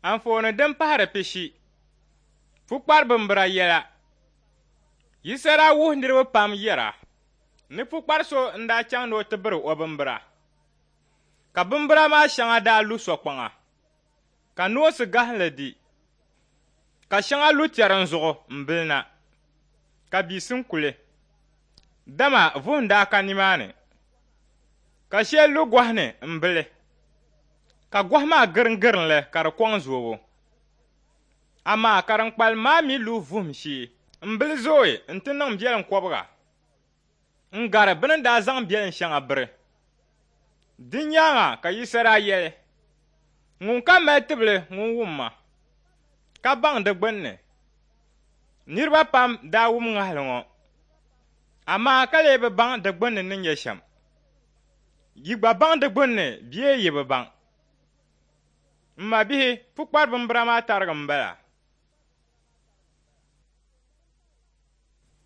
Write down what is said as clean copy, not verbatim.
Anfooni din pahiri pishi, Pukpari bimbira yɛla. Yisa daa wuhi niriba pam yɛra ni pukpari so n-daa chaŋ ni o ti biri o bimbira, ka bimbira maa shɛŋa daa lu sokpaŋa, ka noonsi gahinli di, ka shɛŋa lu tɛrim zuɣu m-bili na, ka biisim kuli, dama vuhim daa ka nimaani, ka shɛli lu gɔhi ni m-bili. Ka gɔhi maa giringirin li ka di kɔŋ zoobu. Amaa ka din kpalim maa mi lu vuhim shee m-bili zooi nti niŋ biɛlim kɔbiga n-gari bɛ ni daa zaŋ biɛlim shɛŋa biri. Di nyaaŋa ka Yisa daa yɛli, Ŋunkam mali tibili ŋun wum ma, ka baŋ di gbinni. Niriba pam daa wum ŋahili ŋɔ, amaa ka lee bi baŋ di gbinni ni nyɛ shɛm. Yi gba baŋ di gbunni bee yi bi baŋ? M mabihi, pukpari bimbira maa tarigi m-bala.